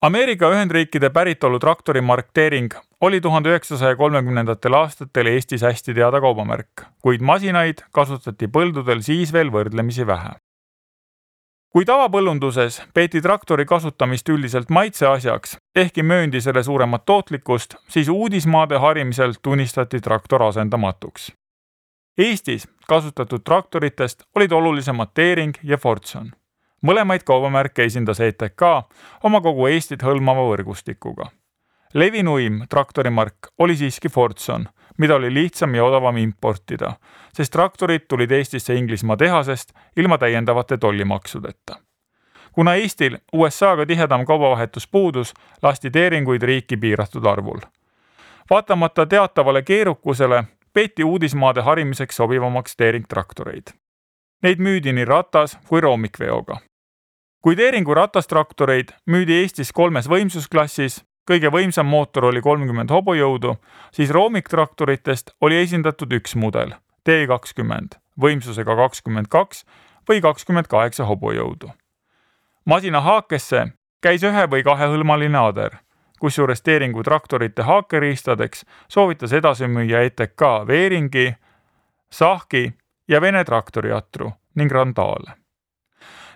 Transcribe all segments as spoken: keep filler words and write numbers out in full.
Ameerika Ühendriikide päritolu traktorimark Teering oli tuhande üheksasaja kolmekümnendatel aastatel Eestis hästi teada kaubamärk, kuid masinaid kasutati põldudel siis veel võrdlemisi vähe. Kui tavapõllunduses peeti traktori kasutamist üldiselt maitseasjaks, ehkki mööndi selle suuremat tootlikkust, siis uudismaade harimisel tunnistati traktor asendamatuks. Eestis kasutatud traktoritest olid olulisemad Teering ja Fordson. Mõlemaid kaubamärke esindas E T K oma kogu Eestit hõlmava võrgustikuga. Levinuim traktorimark oli siiski Fordson, mida oli lihtsam ja odavam importida, sest traktorid tulid Eestisse Inglismaa tehasest ilma täiendavate tollimaksudeta. Kuna Eestil U S A-ga tihedam kaubavahetus puudus, lasti Teeringuid riiki piiratud arvul. Vaatamata teatavale keerukusele peeti uudismaade harimiseks sobivamaks Teering traktoreid. Neid müüdi nii ratas kui roomikveoga. Kui Teeringu ratastraktoreid müüdi Eestis kolmes võimsusklassis, kõige võimsam mootor oli kolmkümmend hobujõudu, siis roomiktraktoritest oli esindatud üks mudel, T kakskümmend, võimsusega kakskümmend kaks või kakskümmend kaheksa hobujõudu. Masina haakesse käis ühe või kahehõlmaline ader, kusjuures Teeringu traktorite haakeriistadeks soovitas edasi müüa E T K Veeringi, Sahki ja Vene traktoriatru ning Randaale.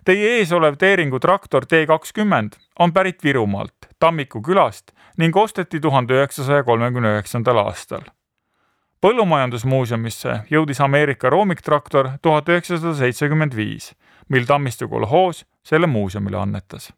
Teie ees olev Teeringu traktor T kakskümmend on pärit Virumaalt, Tammiku külast ning osteti tuhande üheksasaja kolmekümne üheksandal aastal. Põllumajandusmuuseumisse jõudis Ameerika roomiktraktor tuhat üheksasada seitsekümmend viis, mil Tammistu kolhoos selle muuseumile annetas.